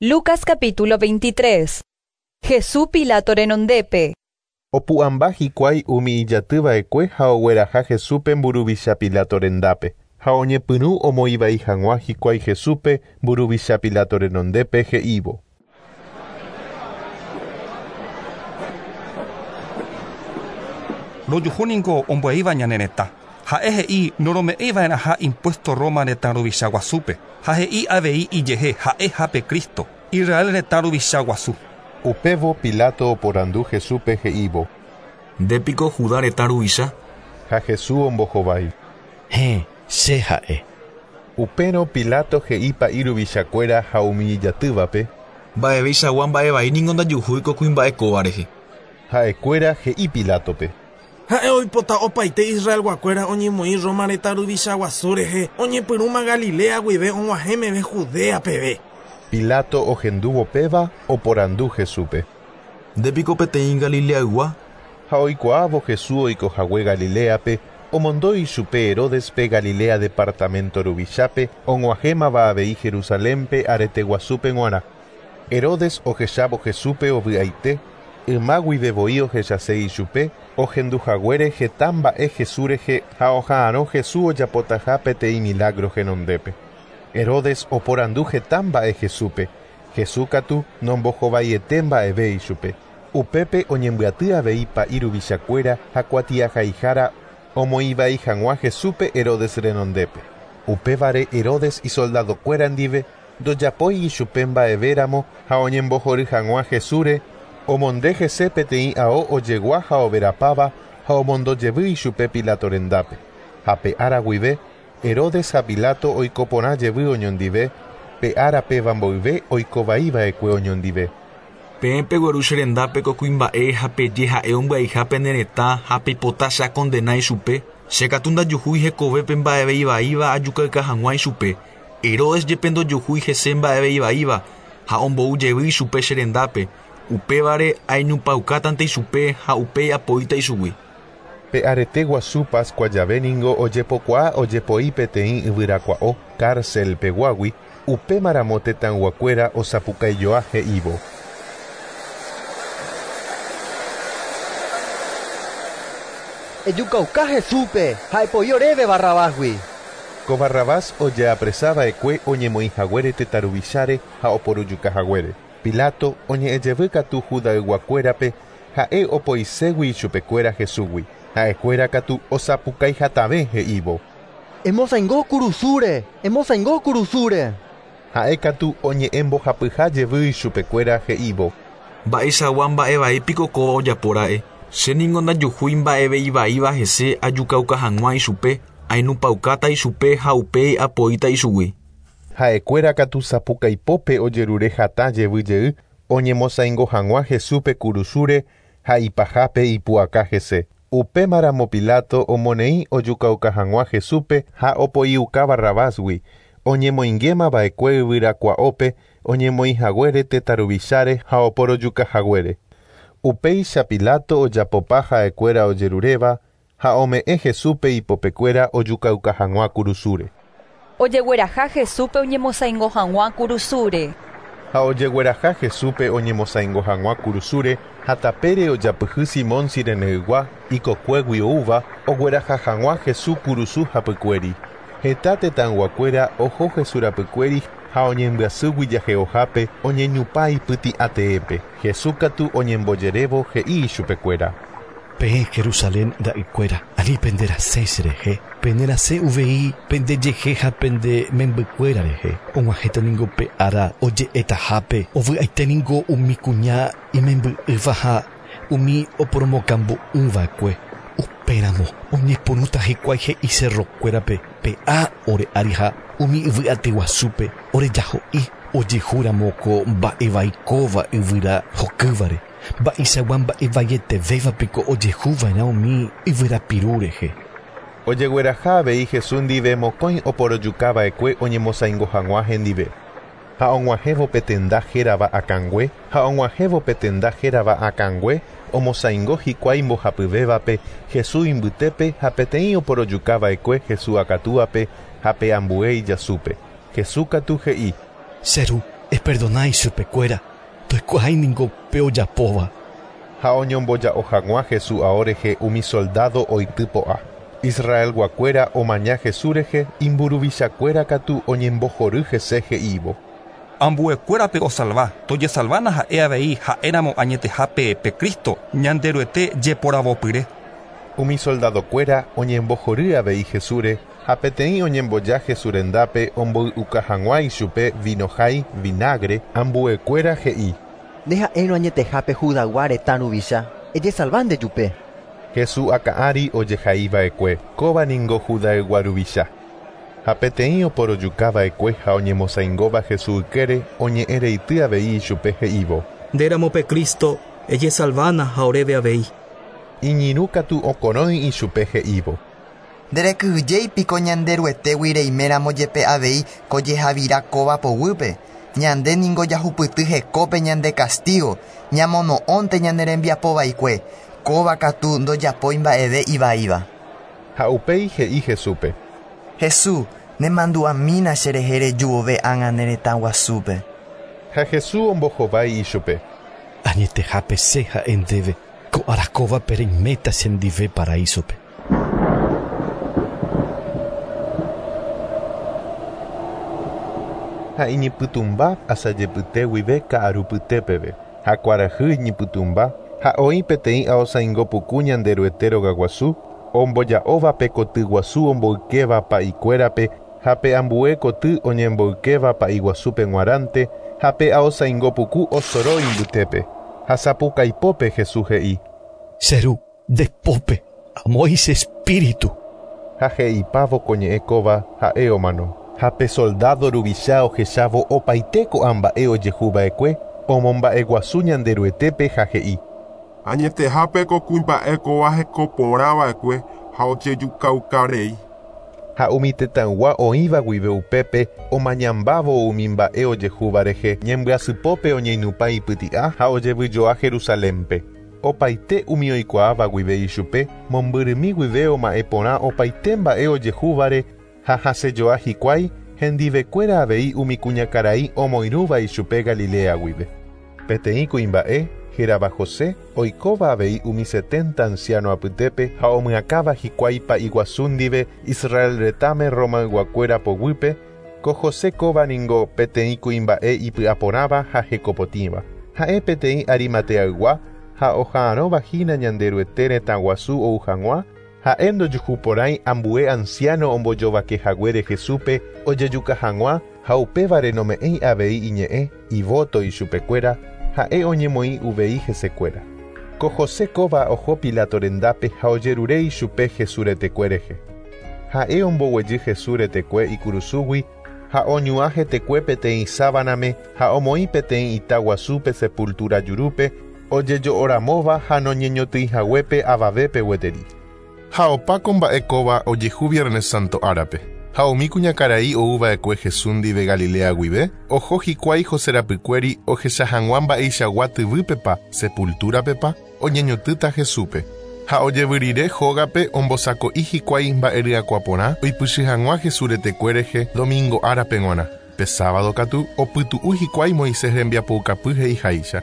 Lucas capítulo 23. Jesús Pilato renondépe. Opu'ãmba hikuái umi ijatýva'ekue ha ogueraha Jesúspe mburuvicha Pilato rendápe. Ha oñepyrũ omoĩvai hag̃ua hikuái Jesúspe mburuvicha Pilato renondépe he'ívo. Rojuhu ningo ombyaiva ñane retã. Ha'e he'i norome'ẽiva'erãha impuesto Roma retã ruvicha guasúpe ha he'i avei ijehe ha'eha pe Cristo, Israel retã ruvicha guasu. Upévo Pilato oporandu Jesúspe he'ívo. Ndépiko Judá retã ruvicha? Ha Jesús ombohovái. Héẽ, che ha'e. Upérõ Pilato he'i pa'i ruvichakuéra ha umi ijatývape. Mba'eveichagua mba'evai ningo ndajuhúi ko kuimba'e kóva rehe. Ha'ekuéra he'i Pilátope. Ha'e oipota opaite Israelguakuéra oñemoĩ Roma retã ruvicha guasu rehe, oñepyrũma Galilea guive og̃uahẽ meve Judea peve. Pilato ohendúvo péva oporandu Jesúspe. Ndépiko peteĩ Galileaygua? Ha oikuaávo Jesús oikohague Galiléape, omondo ichupe Heródespe Galilea departamento ruvichápe, og̃uahẽmava avei Jerusalénpe arete guasúpe g̃uarã. Herodes ohechávo Jesúspe ovy'aite, yma guive voi ohechase ichupe, ohenduhaguére heta mba'e Jesús rehe ha oha'arõ Jesús ojapotaha peteĩ milagro henondépe. Herodes oporandu heta mba'e Jesúspe, Jesús katu nombohovaiete mba'eve ichupe. Upépe oñembyaty avei pa'i ruvichakuéra ha kuatiahaihára omoĩvai hag̃ua Jesúspe Herodes renondépe. Upévare Herodes isoldadokuéra ndive ndojapói ichupe mba'evéramo ha oñembohory hag̃ua Jesúsre, omonde hese peteĩ ao ojegua ha overapáva ha omondojevy ichupe Pilato rendápe. Ha pe ára guive, Herodes ha Pilato oiko porã jevy oñondive, pe ára péva mboyve oikovaiva'ekue oñondive. Peẽ pegueru che rendápe ko kuimba'e ha peje ha'e ombyaiha pene retã ha peipota che akondena ichupe, che katu ndajuhúi hekovépe mba'eve ivaíva ajukayka hag̃ua ichupe. Herodes jepe ndojuhúi hese mba'eve ivaíva ha ombou jevy ichupe che rendápe, upévare ainupãukátante ichupe ha upéi apoíta ichugui. Pe arete guasu Pascua jave ningo ojepokuaa ojepoi peteĩ yvyrakua'o cárcel peguágui, upémaramo tetãyguakuéra osapukaijoa he'ívo. Ejukauka Jesúspe ha epoi oréve Barrabásgui. Ko Barrabás ojeapresava'ekue oñemoĩhaguére tetã ruvicháre ha oporujukahaguére. Pilato oñe'ẽjevy katu Judayguakuérape ha'e opoiségui ichupekuéra Jesúsgui. Ha'ekuéra katu osapukaihatãve he'ívo. Emosaingo kurusúre, emosaingo kurusúre. Ha'e katu oñe'ẽmbohapyha jevy ichupekuéra he'ívo. Mba'eichagua mba'evaípiko kóva ojapóra'e. Che ningo ndajuhúi mba'eve ivaíva hese ajukauka hag̃ua ichupe, ainupãukáta ichupe ha upéi apoíta ichugui. Ha'ekuéra katu sapukaipópe ojerure hatã jevy jey oñemosaingo hag̃ua Jesúspe kurusúre ha ipahápe ipu'aka hese. Upémaramo Pilato omoneĩ ojukauka hag̃ua Jesúspe ha opoiuka Barrabásgui, oñemoingémava'ekue yvyrakua'ópe oñemoĩhaguére tetã ruvicháre ha oporojukahaguére. Upéicha Pilato ojapopa ha'ekuéra ojeruréva ha ome'ẽ Jesúspe ipopekuéra ojukauka hag̃ua kurusúre. Ojegueraha Jesúspe oñemosaingo hag̃ua kurusúre. Ha ojegueraha Jesúspe oñemosaingo hag̃ua kurusúre ha tapére ojapyhy Simón Cireneygua ikokuégui oúva ogueraha hag̃ua Jesús kurusu hapykuéri. Heta tetãyguakuéra oho Jesús rapykuéri ha oñembyasýgui jahe'ohápe oñeñupa ipyti'ateépe. Jesús katu oñembojerévo he'i ichupekuéra. Peẽ Jerusalén ra'ykuéra, ani penderasẽ cherehe, penderasẽ uvei pendejehe ha pende membykuéra rehe. Og̃uahẽta ningo pe ára oje'etahápe, ovy'aite ningo umi kuña imemby'ỹva ha umi oporomokambu'ỹva'ekue. Upéramo oñepyrũta hikuái he'i cerrokuérape pe'a ore ári ha umi yvy'aty guasúpe orejaho'i ojehúramo ko mba'evaikóva yvyra hokývare. Mba'eichagua mba'evaietevévapiko ojehuva'erã umi yvyrapiru rehe. Ojegueraha avei Jesús ndive mokõi oporojukava'ekue oñemosaingo hag̃ua hendive. Ha og̃uahẽvo pe tenda hérava akãngue, ha og̃uahẽvo pe tenda hérava akãngue, omosaingo hikuái mbohapyvévape Jesús imbytépe ha peteĩ oporojukava'ekue Jesús akatúape ha pe ambue ijasúpe. Jesús katu he'i. Che ru, Eperdona ichupekuéra, ndoikuaái ningo pe ojapóva. Ha oñomboja'o hag̃ua Jesús ao rehe umi soldado oity po'a. Israelguakuéra omaña Jesús rehe, imburuvichakuéra katu oñembohory hese he'ívo. Ambuekuérape osalva, tojesalvána ha'e avei ha'éramo añetehápe pe Cristo, Ñanderuete jeporavopyre. Umi soldadokuéra oñembohory avei Jesúsre ha peteĩ oñemboja Jesús rendápe omboy'uka hag̃ua ichupe vinohái vinagre, ambuekuéra he'i. Nde ha'érõ añetehápe Judaygua retã ruvicha, ejesalva ndejupe. Jesús akã ári ojehaiva'ekue, kóva ningo Judaygua ruvicha. Ha peteĩ oporojukava'ekue ha oñemosaingóva Jesús ykére oñe'ẽreity avei ichupe he'ívo. Ndéramo pe Cristo, ejesalvána ha oréve avei. Iñirũ katu okorõi ichupe he'ívo. Nderekyhyjéi piko Ñanderuetégui reiméramo jepe avei ko jehavira kóva poguýpe. Ñande ningo jahupyty hekópe ñande castigo, ñamono'õnte ñane rembiapovaikue, kóva katu ndojapói mba'eve ivaíva. Ha upéi he'i Jesúspe. Jesús, nemandu'amína cherehe reju vove ág̃a ne retã guasúpe. Ha Jesús ombohovái ichupe. Añetehápe che ha'e ndéve, ko ára kóvape reiméta chendive paraísope. Ha iñipytũmba asajepyte guive ka'arupyte peve. Ha kuarahy iñipytũmba ha oĩ peteĩ aosaingo puku Ñanderuete rogaguasu, omboja'óva pe koty guasu omboykéva pa'ikuérape ha pe ambue koty oñemboykéva pa'iguasúpe g̃uarãnte ha pe aosaingo puku osoro imbytépe. Ha sapukaipópe Jesús he'i. Che Ru, nde pópe amoĩ che espíritu. Ha he'ipávo ko ñe'ẽ kóva ha'e omano. Ha pe soldado ruvicha ohechávo opaite ko'ã mba'e ojehuva'ekue, omomba'eguasu Ñanderuetépe ha he'i. Añetehápe ko kuimba'e kóva hekoporãva'ekue ha ojejukaukarei. Ha umi tetãygua oĩva guive upépe omañambávo umi mba'e ojehúva rehe, ñembyasypópe oñeinupã ipyti'a ha ojevyjoa Jerusalénpe. Opaite umi oikuaáva guive ichupe, mombyrymi guive oma'ẽ porã opaite mba'e ojehúvare ha hasẽjoa hikuái, hendivekuéra avei umi kuñakarai omoirũva ichupe Galilea guive. Peteĩ kuimba'e, hérava José, oikóva avei umi 70 anciano apytépe ha omyakãva hikuái pa'iguasu ndive Israel retãme Romayguakuéra poguýpe, ko José kóva ningo peteĩ kuimba'e ipy'aporãva ha hekopotĩva. Ha'e peteĩ Arimateaygua ha oha'arõvahína Ñanderuete retã guasu ou hag̃ua, ha'e ndojuhuporãi ambue anciano ombojovakehaguére Jesúspe ojejuka hag̃ua ha upévare nome'ẽi avei iñe'ẽ ivóto ichupekuéra, ha'e oñemoĩ uvei hesekuéra. Ko José kóva oho Pilato rendápe ha ojerure ichupe Jesús retekue rehe. Ha'e omboguejy Jesús retekue ikurusúgui ha oñuã hetekue peteĩ sábaname ha omoĩ peteĩ ita guasúpe sepultura jurúpe ojejo'oramóva ha noñeñotỹihaguépe avavépe gueteri. Ha opa ko mba'e kóva ojehu Viernes Santo árape. Ha umi kuñakarai ouva'ekue Jesús ndive Galilea guive, oho hikuái José rapykuéri ohecha hag̃ua mba'eichagua tyvýpepa, sepultúrapepa, oñeñotỹta Jesúspe. Ha ojevy rire hógape ombosako'i hikuái mba'eryakuã porã oipychy hag̃ua Jesús retekue rehe domingo árape g̃uarã. Pe sábado katu opytu'u hikuái Moisés rembiapoukapy he'iháicha.